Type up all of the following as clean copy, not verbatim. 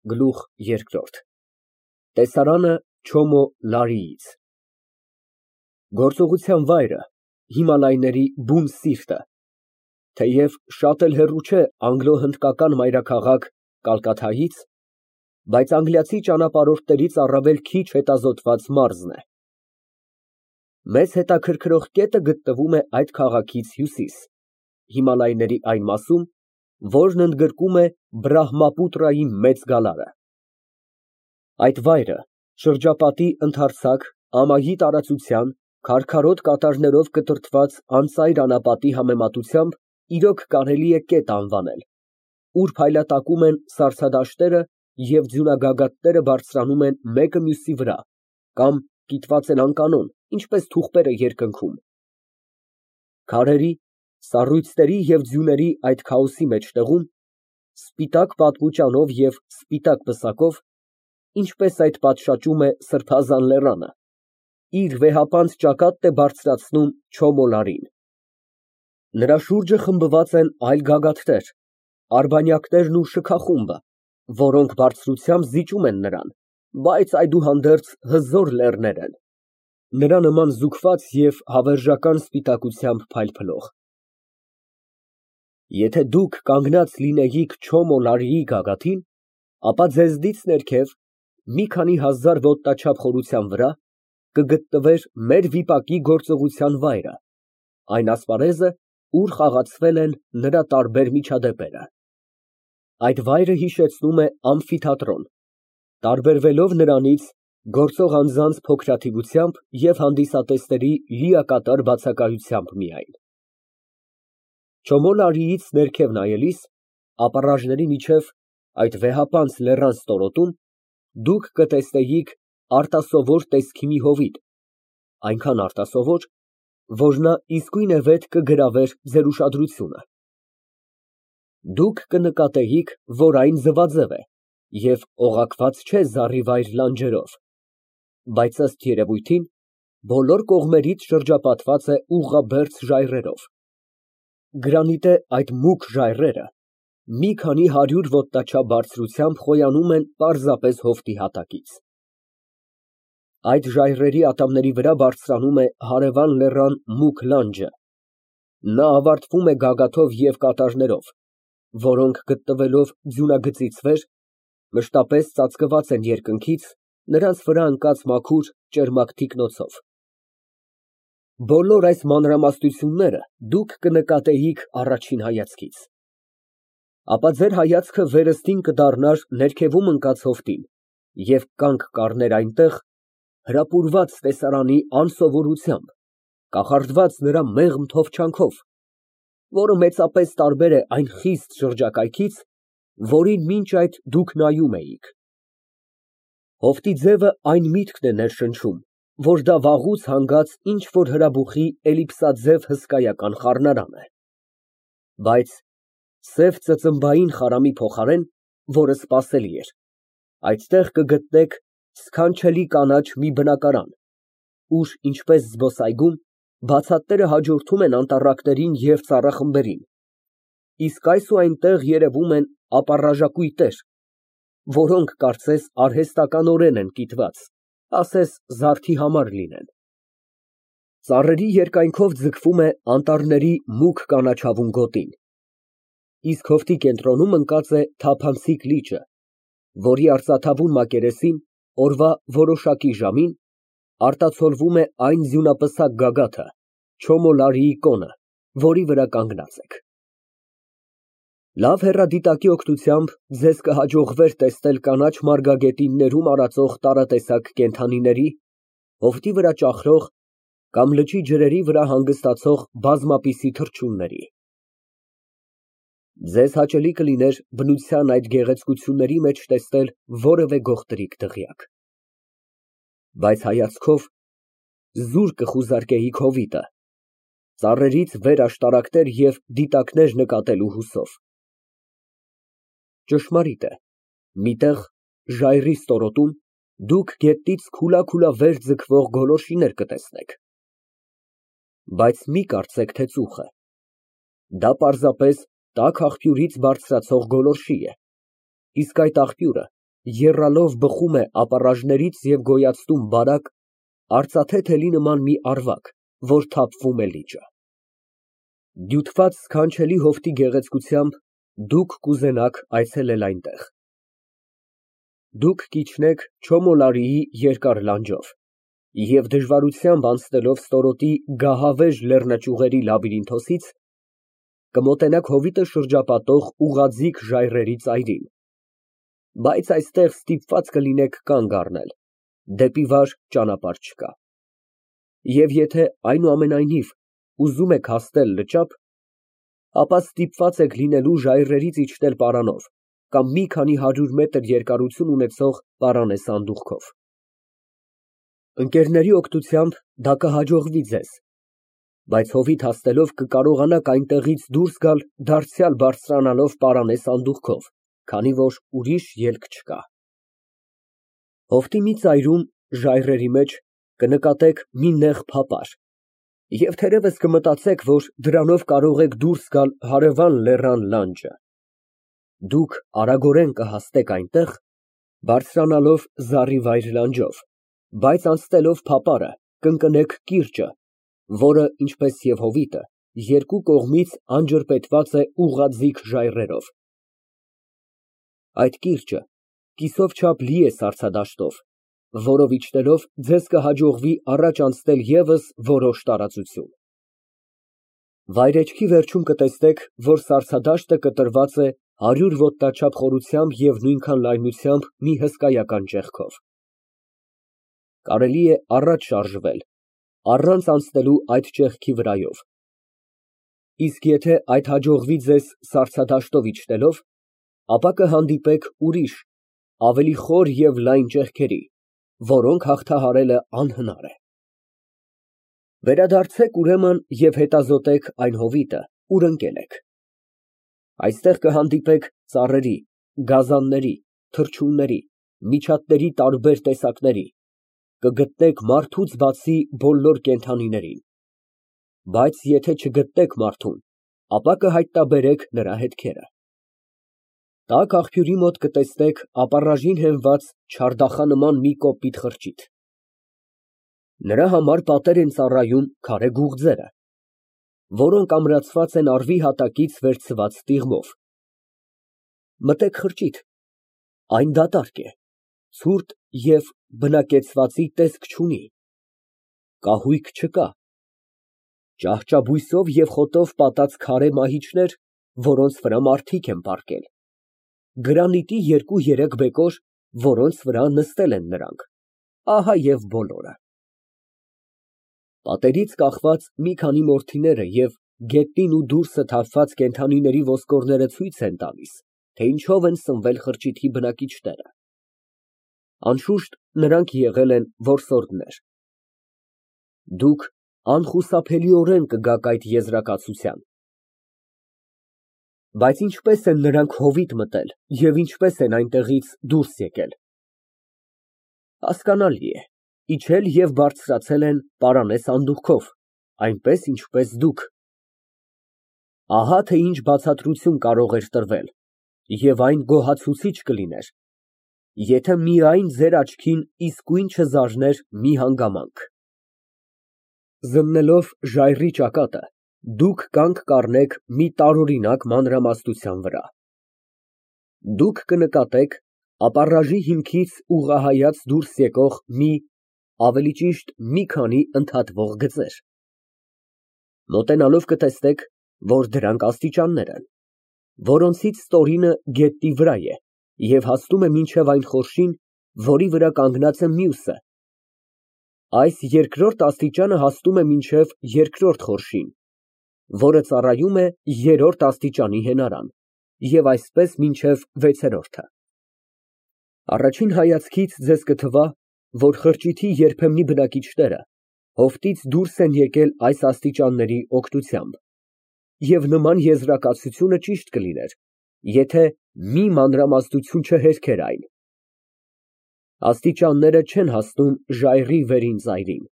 Գլուխ երկրորդ ՏԵՍԱՐԱՆԸ Չոմո Լարիից Գործողության վայրը Հիմալայների բուն սիրտը, թեև շատ էլ հեռու չէ անգլո֊հնդկական մայրաքաղաք Կալկաթայից, բայց անգլիացի ճանապարհորդներից առավել քիչ հետազոտված մարզն է։ Մեծ հետաքրքրող կետը գտնվում է այդ քաղաքից հյուսիս, Հիմալայների այն մասում, որն ընդգրկում է Բրահմապուտրայի մեծ գալարը։ Այդ վայրը շրջապատի ընդարձակ, ամայի տարածության, քարքարոտ կատարներով կտրտված անծայր անապատի համեմատությամբ իրոք կարելի է կետ անվանել, ուր փայլատակում են սառցադաշտերը և ձյունագագաթները բարձրանում են մեկը մյուսի վրա կամ կիտված են անկանոն, ինչպես թուղթերը երկնքում։ Քարերի, սառույցների և ձյուների այդ քաոսի մեջտեղում, սպիտակ պատմուճանով և սպիտակ պսակով, ինչպես այդ պատշաճում է սրբազան լեռանը, իր վեհապանծ ճակատն է բարձրացնում Չոմո Լարին։ Նրա շուրջը խմբված են այլ գագաթներ, արբանյակներն ու շքախումբը, որոնք բարձրությամբ զիջում են նրան, բայց այդուհանդերձ հզոր լեռներ են, նրա նման զուգված և հավերժական սպիտակությամբ փայլփլող։ Եթե դուք կանգնած լինեիք Չոմո Լարիի գագաթին, ապա ձեզնից ներքև, մի քանի հազար ոտնաչափ խորության վրա, կգտնվեր մեր վիպակի գործողության վայրը, այն ասպարեզը, ուր խաղացվել են նրա տարբեր միջադեպերը։ Այդ վայրը հիշեցնում է ամֆիթատրոն, տարբերվելով նրանից գործող անձանց փոքրաթիվությամբ և հանդիսատեսների լիակատար բացակայությամբ միայն։ Չոմո Լարիից ներքև նայելիս, ապառաժների միջև, այդ վեհապանծ լեռան ստորոտում, դուք կտեսնեիք արտասովոր տեսքի մի հովիտ, այնքան արտասովոր, որ նա իսկույնևեթ կգրավեր ձեր ուշադրությունը։ Դուք կնկատեիք, որ այն ձվաձև է և օղակված չէ զառիվայր լանջերով, բայց ըստ երևույթին, բոլոր կողմերից շրջապատված է ուղղաբերձ ժայռերով։ Գրանիտե այդ մուգ ժայռերը մի քանի հարյուր ոտնաչափ բարձրությամբ խոյանում են պարզապես հովտի հատակից։ Այդ ժայռերի ատամների վրա բարձրանում է հարևան լեռան մուգ լանջը, նա ավարտվում է գագաթով և կատարներով, որոնք գտնվելով ձյունագծից վեր, մշտապես ծածկված են երկնքից նրանց վրա ընկած մաքուր, ճերմակ թիկնոցով։ Բոլոր այս մանրամասնությունները դուք կնկատեիք առաջին հայացքից, ապա ձեր հայացքը վերստին կդառնար ներքևում ընկած հովտին և կանգ կառներ այնտեղ, հրապուրված տեսարանի անսովորությամբ, կախարդված նրա մեղմ թովչանքով, որը մեծապես տարբեր է այն խիստ շրջակայքից, որին մինչ այդ դուք նայում էիք։ Հովտի ձևը այն միտքն է ներշնչում, որ դա վաղուց հանգած ինչ֊որ հրաբուխի էլիպսաձև հսկայական խառնարան է։ Բայց սև ծծմբային խարամի փոխարեն, որը սպասելի էր, այդտեղ կգտնեք սքանչելի կանաչ մի բնակարան, ուր, ինչպես զբոսայգում, բացատները հաջորդում են անտառակներին և ծառախմբերին, իսկ այս ու այնտեղ երևում են ապառաժակույտեր, որոնք կարծես արհեստականորեն են կիտված, ասես զարդի համար լինեն։ Ծառերի երկայնքով ձգվում է անտառների մուգ կանաչավուն գոտին, իսկ հովտի կենտրոնում ընկած է թափանցիկ լիճը, որի արծաթավուն մակերեսին, օրվա որոշակի ժամին, արտացոլվում է այն ձյունապսակ գագաթը, Չոմո Լարիի կոնը, որի վրա կանգնած եք։ Լավ հեռադիտակի օգնությամբ ձեզ կհաջողվեր տեսնել կանաչ մարգագետիններում արածող տարատեսակ կենդանիների, հովտի վրա ճախրող կամ լճի ջրերի վրա հանգստացող բազմապիսի թռչունների։ Ձեզ հաճելի կլիներ բնության այդ գեղեցկությունների մեջ տեսնել որևէ գողտրիկ դղյակ։ Բայց հայացքով զուր կխուզարկեիք հովիտը, ծառերից վեր աշտարակներ և դիտակներ նկատելու հուսով։ Ճշմարիտ է, մի տեղ, ժայռի ստորոտում, դուք գետնից քուլա վեր ձգվող գոլորշիներ կտեսնեք։ Բայց մի կարծեք, թե ծուխ է։ Դա պարզապես տաք աղբյուրից բարձրացող գոլորշի է, իսկ այդ աղբյուրը եռալով բխում է ապառաժներից և գոյացնում բարակ, արծաթե թելի նման մի ավարակ, որ թափվում է լիճը։ Դյութված սքանչելի հովտի գեղեցկությամբ դուք կուզենաք այցելել այնտեղ։ Դուք կիջնեք Չոմոլարիի երկար լանջով և դժվարությամբ անցնելով ստորոտի գահավեժ լեռնաճյուղերի լաբիրինթոսից, կմոտենաք հովիտը շրջապատող ուղղաձիգ ժայռերի ծայրին, բայց այստեղ ստիպված կլինեք կանգ առնել, դեպի վար ճանապարհ չկա։ Եվ եթե այնուամենայնիվ ուզում եք հասնել լճափ, ապա ստիպված եք լինելու ժայռերից իջնել պարանով կամ մի քանի հարյուր մետր երկարություն ունեցող պարանե սանդուղքով։ Ընկերների օգնությամբ դա կհաջողվի ձեզ, բայց հովիտ հասնելով կկարողանաք այնտեղից դուրս գալ դարձյալ բարձրանալով պարանե սանդուղքով, քանի որ ուրիշ ելք չկա։ Հովտի մի ծայրում, ժայռերի մեջ, կնկատեք մի նեղ փապար և թերևս կմտածեք, որ դրանով կարող եք դուրս գալ հարևան լեռան լանջը։ Դուք արագորեն կհասնեք այնտեղ, բարձրանալով զառիվայր լանջով, բայց անցնելով փապարը, կընկնեք կիրճը, որը, ինչպես և հովիտը, երկու կողմից անջրպետված է ուղղաձիգ ժայռերով։ Այդ կիրճը կիսով չափ լի է սառցադաշտով, որով իջնելով ձեզ կհաջողվի առաջ անցնել ևս որոշ տարածություն։ Վայրէջքի վերջում կտեսնեք, որ սառցադաշտը կտրված է 100 ոտնաչափ խորությամբ և նույնքան լայնությամբ մի հսկայական ճեղքով։ Կարելի է առաջ շարժվել, առանց անցնելու այդ ճեղքի վրայով, իսկ եթե այդ հաջողվի ձեզ սառցադաշտով իջնելով, ապա կհանդիպեք ուրիշ, ավելի խոր և լայն ճեղքերի, որոնք հաղթահարելը անհնար է։ Վերադարձեք, ուրեմն, և հետազոտեք այն հովիտը, ուր ընկել եք։ Այստեղ կհանդիպեք ծառերի, գազանների, թռչունների, միջատների տարբեր տեսակների, կգտնեք մարդուց բացի բոլոր կենդանիներին, բայց եթե չգտնեք մարդուն, ապա կհայտնաբերեք նրա հետքերը։ Տաք աղբյուրի մոտ կտեսնեք ապառաժին հենված չարդախանման մի կոպիտ խրճիթ։ Նրա համար պատեր են ծառայում քարե գուղձերը, որոնք ամրացված են առվի հատակից վերցված տիղմով։ Մտեք խրճիթ, այն դատարկ է, ցուրտ և բնակեցվածի տեսք չունի, կահույք չկա, ճահճաբույսով և խոտով պատած քարե մահիճներ, որոնց վրա մարդիկ են պառկել, գրանիտի 2-3 բեկոր, որոնց վրա նստել են նրանք, ահա և բոլորը։ Պատերից կախված մի քանի մորթիները և գետնին ու դուրսը թափված կենդանիների ոսկորները ցույց են տալիս, թե ինչով են սնվել խրճիթի բնակիչները։ Անշուշտ, նրանք եղել են որսորդներ։ Դուք անխուսափելիորեն կգաք այդ եզրակացության։ Բայց ինչպե՞ս են նրանք հովիտ մտել և ինչպե՞ս են այնտեղից դուրս եկել։ Հասկանալի է, իջել և բարձրացել են պարանե սանդուղքով, այնպես, ինչպես դուք։ Ահա թե ինչ բացատրություն կարող էր տրվել, և այն գոհացուցիչ կլիներ, եթե միայն ձեր աչքին իսկույն չզարներ մի հանգամանք։ Զննելով ժայռի ճակատը, դուք կանգ կառնեք մի տարօրինակ մանրամասնության վրա։ Դուք կնկատեք ապառաժի հիմքից ուղղահայաց դուրս եկող ավելի ճիշտ մի քանի ընդհատվող գծեր։ Մոտենալով կտեսնեք, որ դրանք աստիճաններ են, որոնցից ստորինը գետնի վրա է և հասնում է մինչև այն խորշին, որի վրա կանգնած է մյուսը։ Այս երկրորդ աստիճանը հասնում է մինչև երկրորդ խորշին, որը ծառայում է երրորդ աստիճանի հենարան, և այսպես մինչև վեցերորդը։ Առաջին հայացքից ձեզ կթվա, որ խրճիթի երբեմնի բնակիչները հովտից դուրս են եկել այս աստիճանների օգնությամբ, և նման եզրակացությունը ճիշտ կլիներ, եթե մի մանրամասնություն չհերքեր այն։ Աստիճանները չեն հասնում ժայռի վերին ծայրին։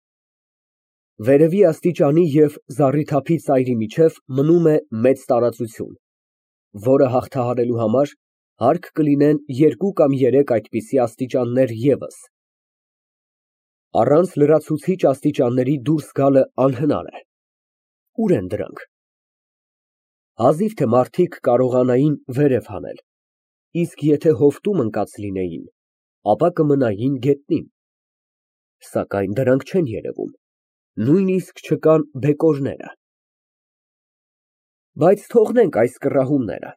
Վերևի աստիճանի և զառիթափի ծայրի միջև մնում է մեծ տարածություն, որը հաղթահարելու համար Հարկ կլինեն 2 կամ 3 այդպիսի աստիճաններ ևս։ Առանց լրացուցիչ աստիճանների դուրս գալը անհնար է։ Ուր են դրանք։ Հազիվ թե մարդիկ կարողանային վերև հանել, իսկ եթե հովտում ընկած լինեին, ապա կմնային գետնին, սակայն դրանք չեն երևում, նույնիսկ չկան բեկորները։ Բայց թողնենք այս կռահումները։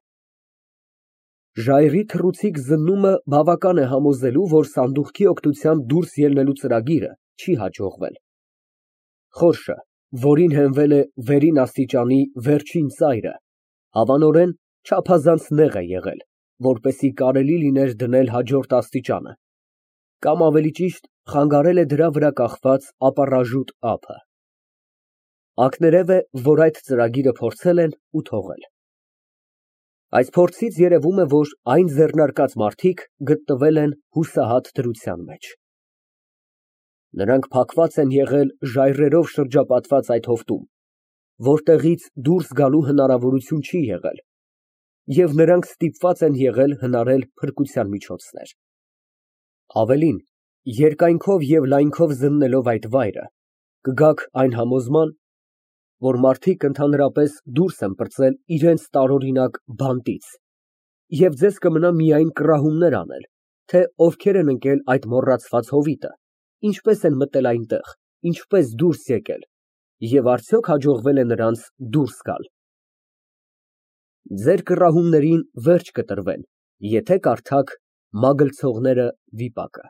Ժայռի թռուցիկ զննումը բավական է համոզելու, որ սանդուղքի օգնությամբ դուրս ելնելու ծրագիրը չի հաջողվել։ Խորշը, որին հենվել է վերին աստիճանի վերջին ծայրը, հավանորեն չափազանց նեղ է եղել, որպեսզի կարելի լիներ դնել հաջորդ աստիճանը, կամ ավելի ճիշտ խանգարել է դրա վրա կախված ապառաժուտ ափը։ Ակներև է, որ այդ ծրագիրը փորձել են ու թողել։ Այս փորձից երևում է, որ այն ձեռնարկած մարդիկ գտնվել են հուսահատ դրության մեջ։ Նրանք փակված են եղել ժայռերով շրջապատված այդ հովտում, որտեղից դուրս գալու հնարավորություն չի եղել, և նրանք ստիպված են եղել հնարել փրկության միջոցներ։ Ավելին, երկայնքով և լայնքով զննելով այդ վայրը, կգաք այն համոզման, որ մարդիկ ընդհանրապես դուրս են պրծել իրենց տարօրինակ բանտից, և ձեզ կմնա միայն կռահումներ անել, թե ովքեր են ընկել այդ մոռացված հովիտը, ինչպես են մտել այնտեղ, ինչպես դուրս եկել, և արդյոք հաջողվել է նրանց դուրս գալ։ Ձեր կռահումներին վերջ կտրվեն, եթե կարդաք Մագլցողները վիպակը։